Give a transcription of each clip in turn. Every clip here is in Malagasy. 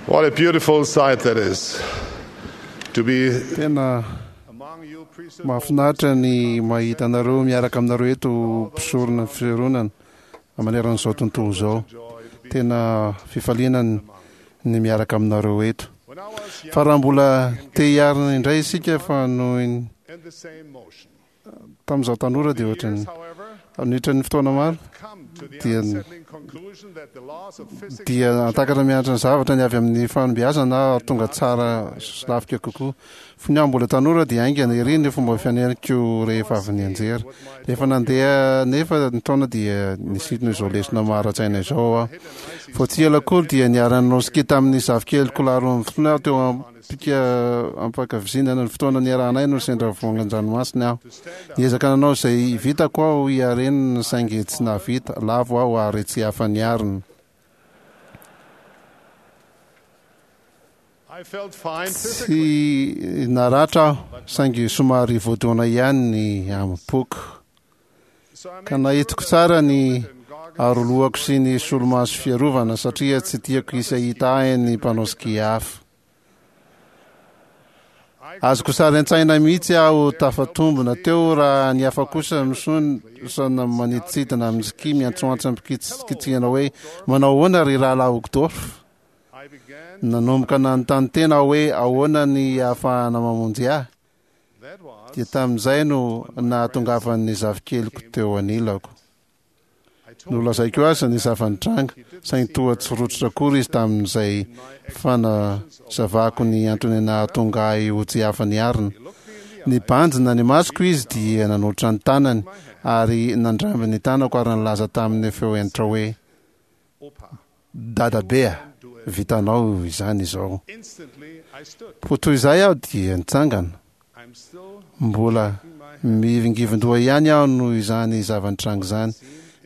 What a beautiful sight that is to be Tena among you priesthood mahafinaritra ny mahita anareo miaraka aminareo eto mpisorona ny fisoronana maneran'izao tontolo izao. Tena fifaliana ny ny miaraka aminareo eto. When I was young Fa raha mbola te hiarina indray isika fa noho ny in the same motion. tamin'izaho tanora dia ohatran'ny Years, however, niditra ny fotoana maro come to the dia unsettling conclusion that the laws of physics dia antakatra mianatra ny zavatra ny avy amin'ny fahombiazana ary tonga tsara sy lavitra kokoa. Fony aho mbola tanora dia haingana ery ny fomba fianariko rehefa avy nianjera. Rehefa nandeha nefa ny taona dia nisintona izao lesona maha-ara-tsaina izao aho. Vao tsy ela akory dia niara-nanao ski tamin'ny zafikeliko lahy 12 aho teo am-pika am-pankavizinana ny fotoana niarahanay no sendra voangan-dranomasina aho. Niezaka nanao izay vitako aho hiarenana saingy tsy nahavita, lavo aho ary tsy afa-niarina. I felt fine physically. Tsy naratra aho saingy somary voadona ihany ny amim-poko. So I Ka made nahitiko sure that tsara my ny helmet and goggles arolohako sy ny solomaso fiarovana satria tsy tiako hisy hahita ahy ny mpanao ski hafa. I Azoko sary an-tsaina mihitsy aho tafatombina teo raha ny hafa kosa misontsona manidintsidina amin'ny ski miantsoantso am-pikitsihana hoe manao ahoana ry rahalahy Uchtdorf? I began Nanomboka nanontany tena aho hoe ahoana ny ahafahana mamonjy ahy. that was Dia tamin'izay no nahatongavan'ny zafikeliko teo anilako. I told Nolazaiko azy ny zava-nitranga, saingy toa tsy rototra akory izy tamin'izay fanazavako ny antony nahatonga ahy ho tsy afa-niarina. Nibanjina ny masoko izy dia nanolotra ny tanany ary nandramby ny tanako ary nilaza tamin'ny feo hentitra hoe Opa. Dadabe a, vitanao izany izao. Instantly I stood. Poa toy izay aho dia nitsangana. I'm still Mbola mihivingivin-doha ihany aho noho izany zava-nitranga izany.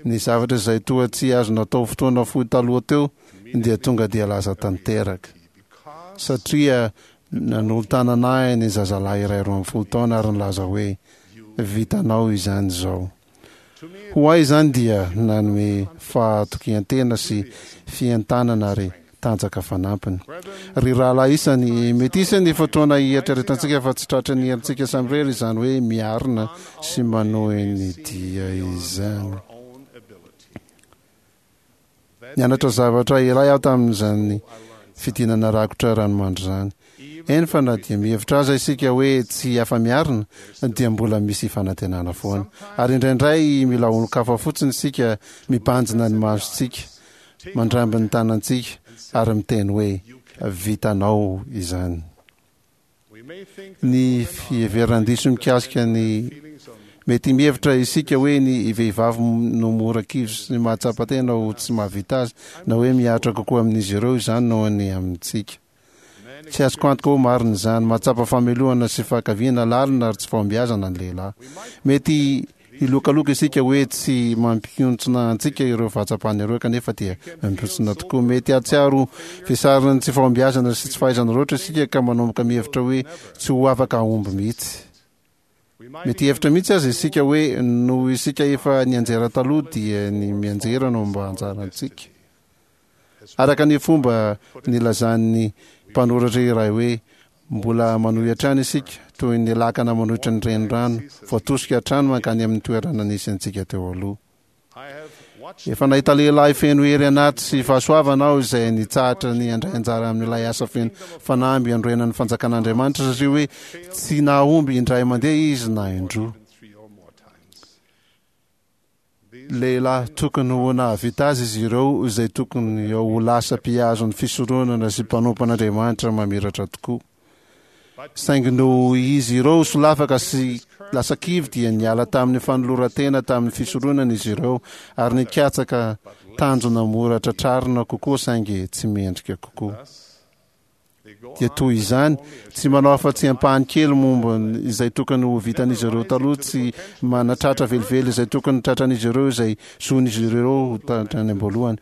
Ny zavatra izay toa tsy azo natao fotoana fohy taloha teo dia tonga dia lasa tanteraka. because Satria nanolo-tanana ahy ny zazalahy iray 12 taona ary nilaza hoe vitanao izany izao. Ho ahy izany dia nanome fahatokian-tena sy fientanana ary tanjaka fanampiny. Ry rahalahy isany, mety hisy ny fotoana hieritreretantsika fa tsy tratran'ny herintsika samirery izany hoe miarina sy manohy ny dia izany. our own ability. Nianatra zavatra iray aho tamin'izany fidinana rakotra ranomandry izany. Eny fa na dia mihevitra aza isika hoe tsy afa-miarina dia mbola misy fanantenana foana. Ary indraindray mila olon-kafa fotsiny isika mibanjina ny masontsika, mandramby ny tanantsika ary miteny hoe vitanao izany. We may think Ny fiheveran-diso mikasika ny mety mihevitra isika hoe ny vehivavy no mora kivy sy mahatsapa tena ho tsy mahavita azy na hoe mihatra kokoa amin'izy ireo izany noho ny amintsika. Tsy azoko antoka hoe marina izany. Mahatsapa famelohana sy fahankaviana lalina ary tsy fahombiazana ny lehilahy. Mety Hilokaloka isika hoe tsy mampihontsona antsika ireo fahatsapana ireo kanefa dia mampihontsona tokoa. Mety hahatsiaro vesarin'ny tsy fahombiazana sy tsy fahaizana loatra isika ka manomboka mihevitra hoe tsy ho afaka hahomby mihitsy. Mety hihevitra mihitsy aza isika hoe noho isika efa nianjera taloha dia ny mianjera no mba anjarantsika. Araka ny fomba nilazan'ny mpanoratra iray hoe, Mbola manohy hatrany isika, toy ny lakana manohitra ny renirano, voatosika hatrany mankany amin'ny toerana nisy antsika teo aloha. Efa nahita lehilahy feno hery anaty sy fahasoavana aho izay nitsahatra ny handray anjara amin'ilay asa feno fanamby hanorenan'ny fanjakan'Andriamanitra satria hoe tsy nahomby indray mandeha izy na indroa. Lehilahy tokony ho nahavita azy izy ireo izay tokony ho lasa mpihazo ny fisoronana sy mpanompo an'Andriamanitra mamiratra tokoa. Saingy noho izy ireo solafaka sy lasa kivy dia niala tamin'ny fanoloran-tena tamin'ny fisoronana izy ireo ary nikatsaka tanjona mora tratrarina kokoa saingy tsy mendrika kokoa. Dia toy izany, tsy manao afa-tsy ampahany kely momba izay tokony ho vitan'izy ireo taloha, tsy manatratra velively izay tokony tratran'izy ireo izay zon'izy ireo ho hatrany am-boalohany.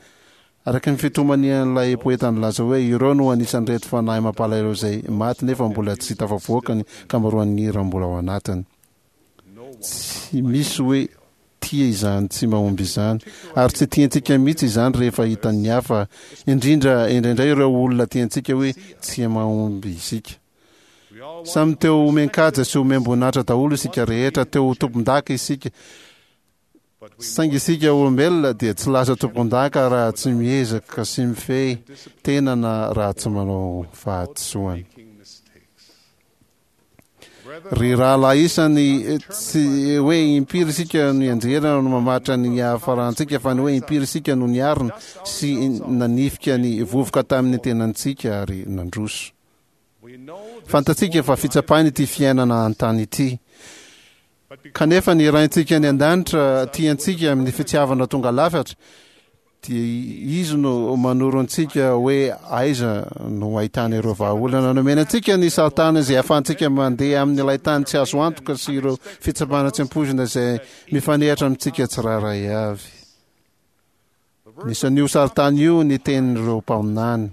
Araka ny fitomanian'ilay poeta nilaza hoe, Ireo no anisan'ireto fanahy mampalahelo izay maty nefa mbola tsy tafavoaka ny ankamaroan'ny hira mbola ao anatiny. Tsy misy hoe. tia izany tsy mahomby izany, ary tsy tiantsika mihitsy izany rehefa hitan'ny hafa, indrindra indraindray ireo olona tiantsika hoe tsy mahomby isika. Samy te ho omen-kaja sy omem-boninahitra daholo isika rehetra, te ho tompon-daka isika, saingy isika olombelona dia tsy lasa tompon-daka raha tsy miezaka sy mifehy tena na raha tsy manao fahadisoana. Ry rahalahy isany, tsy hoe impiry isika no nianjera no mamaritra ny hiafarantsika, fa ny hoe impiry isika no niarina sy nanifika ny vovoka tamin'ny tenantsika ary nandroso. Fantatsika fa fitsapana ity fiainana an-tany ity. Kanefa ny Raintsika any an-danitra tia antsika amin'ny fitiavana tonga lafatra, dia Izy no manoro antsika hoe aiza no ahitana ireo vahaolana nomena antsika ny sarintany izay ahafahantsika mandeha amin'ilay tany tsy azo antoka sy ireo fitsapana tsy ampoizina izay mifanehatra amintsika tsirairay avy. Anisan'io sarintany io ny tenin'ireo mpaminany.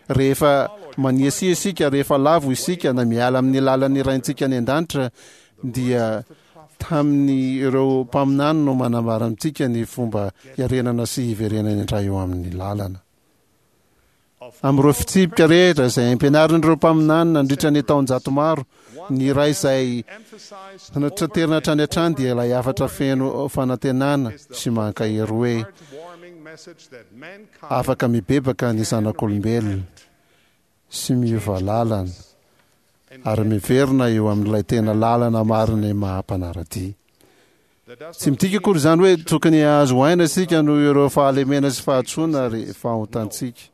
Rehefa maniasia isika, rehefa lavo isika na miala amin'ny lalan'ny Raintsika any an-danitra, dia tamin'ireo mpaminany no manambara amintsika ny fomba hiarenana sy hiverenana indray eo amin'ny lalana. Amin'ireo fitsipika rehetra izay ampianarin'ireo mpaminany nandritra ny taonjato maro, ny iray izay notraterina hatrany hatrany dia ilay hafatra feno fanantenana sy mankahery hoe, Afaka mibebaka ny zanak'olombelona sy miova lalana ary miverina eo amin'ilay tena lalana marin'ny maha mpanara-dia. Tsy midika akory izany hoe tokony hahazo aina isika noho ireo fahalemena sy fahadisoana ary fahotantsika.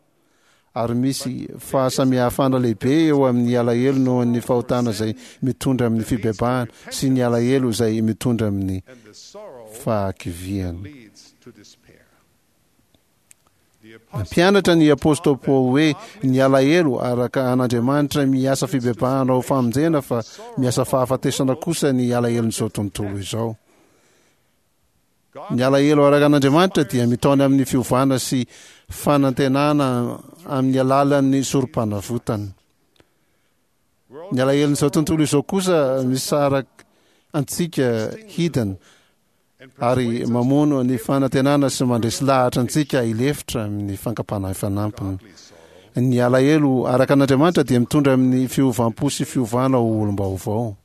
Ary misy fahasamihafana lehibe eo amin'ny alahelo noho ny fahotana izay mitondra amin'ny fibebahana sy ny alahelo izay mitondra amin'ny fahakiviana. Nampianatra ny apostoly Paoly hoe ny alahelo araka an'Andriamanitra miasa fibebahana ho famonjena fa miasa fahafatesana kosa ny alahelon'izao tontolo izao. Ny alahelo araka an'Andriamanitra dia mitaona amin'ny fiovana sy fanantenana amin'ny alalan'ny sorom-panavotana. Ny alahelon'izao tontolo izao kosa misaraka antsika hidina ary mamono ny fanantenana sy mandresy lahatra antsika hilefitra amin'ny fankam-panahy fanampiny. Ny alahelo araka an'Andriamanitra dia mitondra amin'ny fiovam-po sy fiovana ho olom-baovao.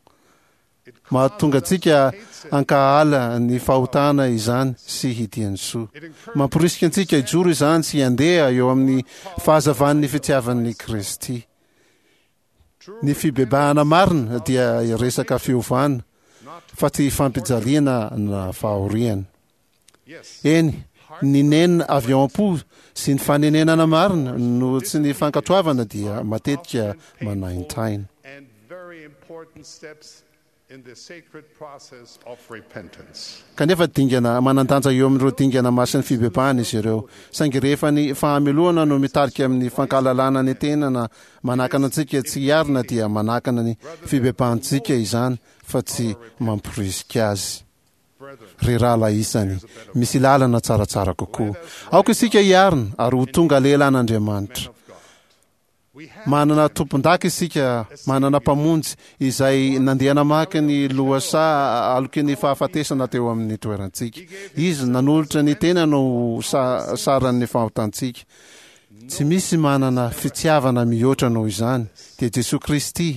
Mahatonga antsika hankahala ny fahotana izany sy hitia ny soa. Mamporisika antsika hijoro izany sy handeha eo amin'ny fahazavan'ny fitiavan'i Kristy. Ny fibebahana marina dia resaka fiovana fa tsy fampijaliana na fahoriana. Eny, ny nenina avy ao am-po sy ny fanenenana marina no tsy ny fankatoavana dia matetika manaintaina. Kanefa dingana manan-danja eo amin'ireo dingana masin'ny fibebahana izy ireo. Saingy rehefa ny fahamelohana no mitarika amin'ny fankahalalana ny tena na manakana antsika tsy hiarina dia manakana ny fibebahantsika izany fa tsy mamporisika azy. Ry rahalahy isany, misy lalana tsaratsara kokoa. Aoka isika hiarina ary ho tonga lehilahin'Andriamanitra. Manana tompon-daka isika, manana Mpamonjy izay nandeha namaky ny lohasaha aloky ny fahafatesana teo amin'ny toerantsika. Izy nanolotra ny tenany ho saran'ny fahotantsika. Tsy misy manana fitiavana mihoatra noho izany, dia Jesoa Kristy.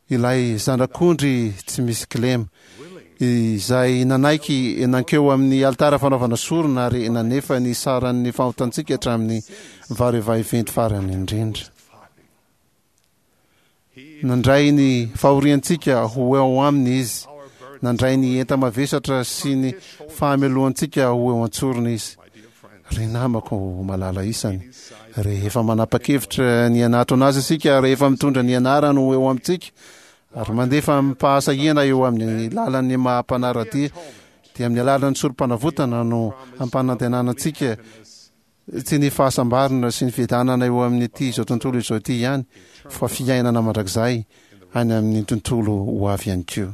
Ilay Zanak'ondry tsy misy kilema, izay nanaiky nankeo amin'ny alitara fanaovana sorona ary nanefa ny saran'ny fahotantsika hatramin'ny varevahiventy farany indrindra. Nandray ny fahoriantsika ho eo aminy Izy, nandray ny enta-mavesatra sy ny fahamelohantsika ho eo an-tsorony Izy. Ry namako malala isany, rehefa manapa-kevitra ny hanatona Azy isika, rehefa mitondra ny anarany ho eo amintsika, ary mandefa amim-pahasahiana eo amin'ny lalan'ny maha-mpanara-dia, dia amin'ny alalan'ny sorom-panavotana no hampanantenana antsika tsy ny fahasambarana sy ny fiadanana eo amin'ity izao tontolo izao ity ihany, fa fiainana mandrakizay any amin'ny tontolo ho avy ihany koa.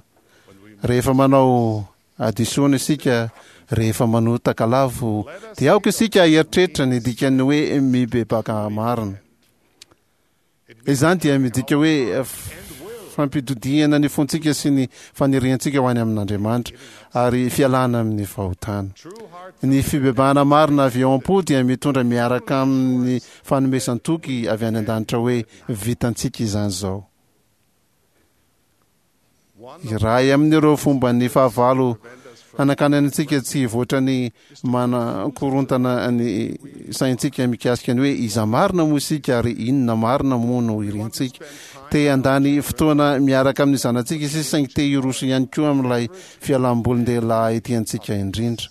Rehefa manao Hadisoana isika rehefa manota ka lavo, dia aoka isika hieritreritra ny dikan'ny hoe mibebaka marina. Izany dia midika hoe fampitodihana ny fontsika sy ny faniriantsika ho any amin'Andriamanitra ary fialana amin'ny fahotana. Ny fibebahana marina avy ao am-po dia mitondra miaraka amin'ny fanomezan-toky avy any an-danitra hoe vitantsika izany izao. Iray amin'ireo fomban'ny fahavalo hanakanany antsika tsy hivoatra ny manakorontana ny saintsika mikasika ny hoe iza marina moa isika ary inona marina moa no irintsika. Te handany fotoana miaraka amin'ny zanatsika isika saingy te hiroso ihany koa amin'ilay fialambolin-dehilahy tiantsika indrindra.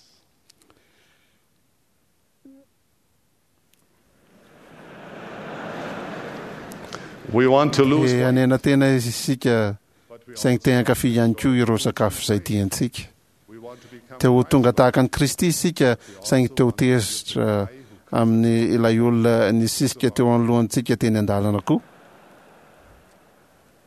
We want to lose Te weight, hanena tena isika saingy te hankafy ihany koa ireo sakafo izay tiantsika. we want to become Te ho tonga tahaka an'i Kristy isika saingy te ho tezitra amin'ny ilay olona nisisika teo anoloantsika teny an-dalana koa.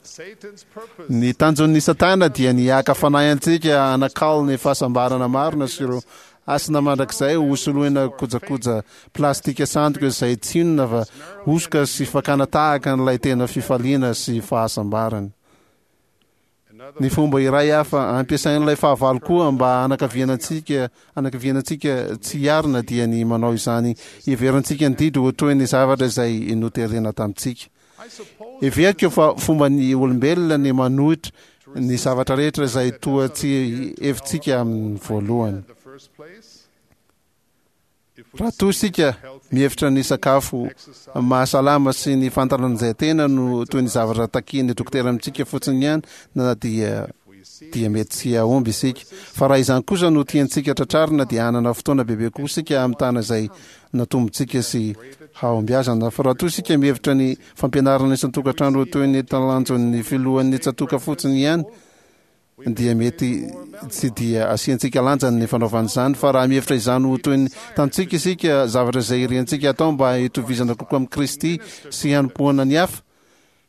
Satan's purpose Ny tanjon'ny Satana dia ny haka fanahy antsika hanakalo ny fahasambarana marina sy ireo hasina mandrakizay ho soloina kojakoja plastika sandoka izay tsy inona fa hosoka sy fakana tahaka an'ilay tena fifaliana sy fahasambarana. Ny fomba iray hafa ampiasain'ilay fahavalo koa mba hanakaviana antsika hanakiviana antsika tsy hiarina dia ny manao izany hiheverantsika ny didy ho toy ny zavatra izay noterena tamintsika. Heveriko fa fomban'ny olombelona ny manohitra ny zavatra rehetra izay toa tsy hevitsika amin'ny voalohany. Raha toa isika mihevitra ny sakafo mahasalama sy ny fantaranjantena no toy ny zavatra takian'ny dokotera amintsika fotsiny ihany na dia dia mety tsy hahomby isika. Fa raha izany kosa no tiantsika tratrarina dia hanana fotoana bebe kokoa isika hamitana izay natombontsika sy hahombiazana. Fa raha toa isika mihevitra ny fampianarana isan-tokantrano ho toy ny talanjon'ny filohan'ny tsatoka fotsiny ihany dia mety tsy dia asiantsika lanjany ny fanaovana izany. Fa raha mihevitra izany ho toy ny tanjontsika isika, zavatra izay iriantsika hatao mba hitovizana kokoa amin'i Kristy sy hanompoana ny hafa,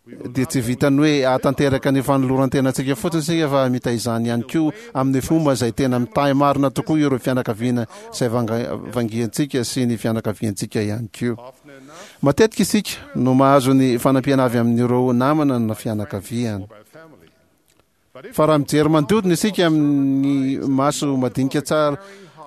dia tsy vitan'ny hoe hahatanteraka ny fanoloran-tenantsika fotsiny isika fa hamita izany ihany koa amin'ny fomba izay tena mitahy marina tokoa ireo fianakaviana izay vangiantsika sy ny fianakaviantsika ihany koa. Matetika isika no mahazo ny fanampiana avy amin'ireo namana na fianakaviana. Fa raha mijery manodidina isika amin'ny maso madinika tsara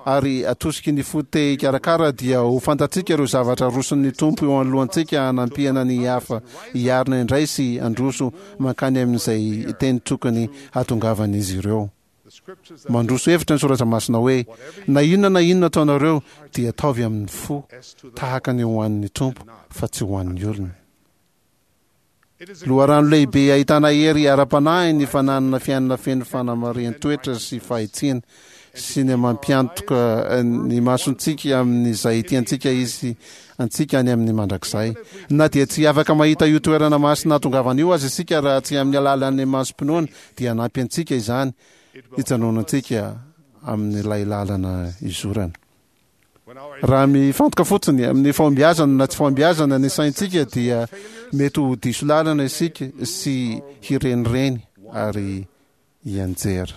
ary atosiky ny fo te hikarakara dia ho fantatsika ireo zavatra aroson'ny Tompo eo anoloantsika hanampiana ny hafa hiarina indray sy handroso mankany amin'izay teny tokony hahatongavan'izy ireo. Mandroso hevitra ny Soratra Masina hoe, Na inona na inona ataonareo dia ataovy amin'ny fo tahaka ny ho an'ny Tompo fa tsy ho an'ny olona. Loharano lehibe ahitana hery ara-panahy ny fananana fiainana feno fanamarihan-toetra sy fahitsiana, sy ny mampiantoka ny masontsika amin'izay tiantsika hisy antsika any amin'ny mandrakizay. Na dia tsy afaka mahita io toerana masina hahatongavana io aza isika raha tsy amin'ny alalan'ny masom-pinoana, dia hanampy antsika izany hijanonantsika amin'ilay lalana izorana. Raha mifantoka fotsiny amin'ny fahombiazana na tsy fahombiazana ny saintsika dia mety ho diso lalana isika sy hirenireny ary hianjera.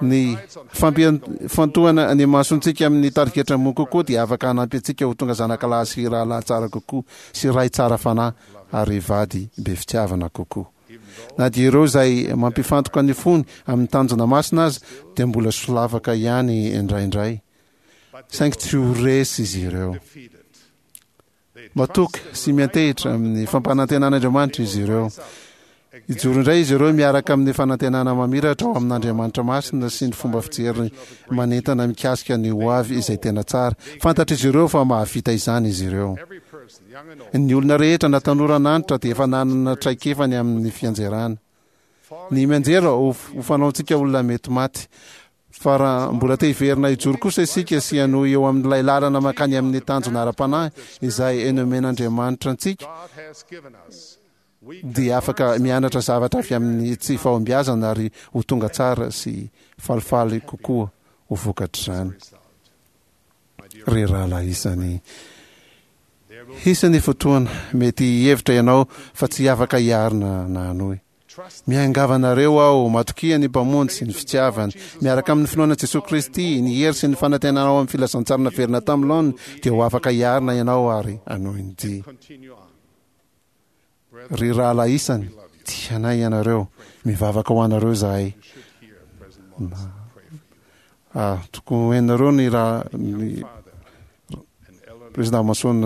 Ny fampifantohana ny masontsika amin'ny tarigetra ambony kokoa dia afaka hanampy antsika ho tonga zanakalahy sy rahalahy tsara kokoa sy ray tsara fanahy ary vady be fitiavana kokoa. Na dia ireo izay mampifantoka ny fony amin'ny tanjona masina aza dia mbola solafaka ihany indraindray, saingy tsy ho resy izy ireo. Matoky sy miantehitra amin'ny fampanantenan'Andriamanitra izy ireo. Hijoro indray izy ireo miaraka amin'ny fanantenana mamiratra ao amin'Andriamanitra masina sy ny fomba fijery manentana mikasika ny hoavy izay tena tsara. Fantatr'izy ireo fa mahavita izany izy ireo. Ny olona rehetra na tanora na antitra dia efa nanana traikefa ny amin'ny fianjerana. Ny mianjera ho fanaontsika olona mety maty. Fa raha mbola te hiverina hijoro kosa isika sy hanohy eo amin'ilay lalana mankany amin'ny tanjona ara-panahy izay nomen'Andriamanitra antsika, dia afaka mianatra zavatra avy amin'ny tsy fahombiazana ary ho tonga tsara sy falifaly kokoa ho vokatr'izany. Ry rahalahy isany, hisy ny fotoana mety hihevitra ianao fa tsy afaka hiarina na hanohy. Miangavy anareo aho, matokia ny Mpamonjy sy ny fitiavany. Miaraka amin'ny finoana Jesoa Kristy, ny hery sy ny fanantenana ao amin'ny filazantsara naverina tamin'ny laoniny, dia ho afaka hiarina ianao ary hanohy ny dia. Ry rahalahy isany, Tia anay ianareo. Mivavaka ho anareo izahay. Ah, tokony ho henonareo ny raha ny Président Mason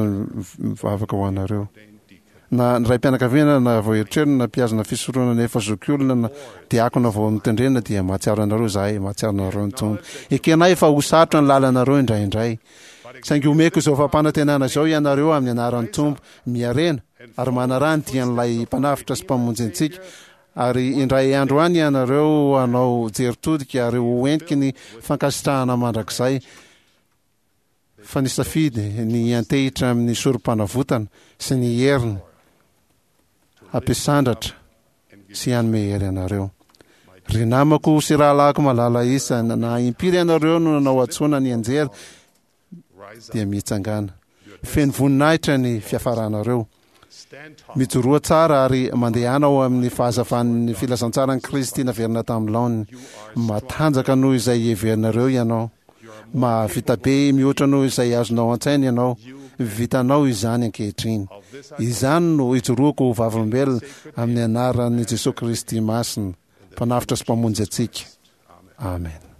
mivavaka ho anareo. Na ny raim-pianakaviana na vao eritreriny na mpihazona fisoronana efa zokiolona na diakona vao notendrena dia mahatsiaro anareo izahay, mahatsiaro anareo ny Tompo. Ekenay fa ho sarotra ny lalanareo indraindray. Saingy omeko izao fampanantenana izao ianareo amin'ny anaran'ny Tompo, miharena ary manaraha ny dian'ilay Mpanavotra sy Mpamonjy antsika, ary indray andro any ianareo hanao jery todika ary ho entiky ny fankasitrahana mandrakizay fa nisafidy ny hiantehitra amin'ny sorom-panavotana sy ny heriny hampisandratra sy hanome hery anareo. Ry namako sy rahalahiko malala isany, na impiry ianareo no nanao hadisoana nianjera, dia mitsangàna. Feno voninahitra ny fiafaranareo. Mijoroa tsara ary mandehana ao amin'ny fahazavan'ny filazantsaran'i Kristy naverina tamin'ny laoniny. Matanjaka noho izay heverinareo ianao. Mahavita be mihoatra noho izay azonao an-tsaina ianao. Vitanao izany ankehitriny. Izany no ijoroako ho vavolombelona amin'ny anaran'i Jesoa Kristy Masina, Mpanavotra sy Mpamonjy antsika. Amen.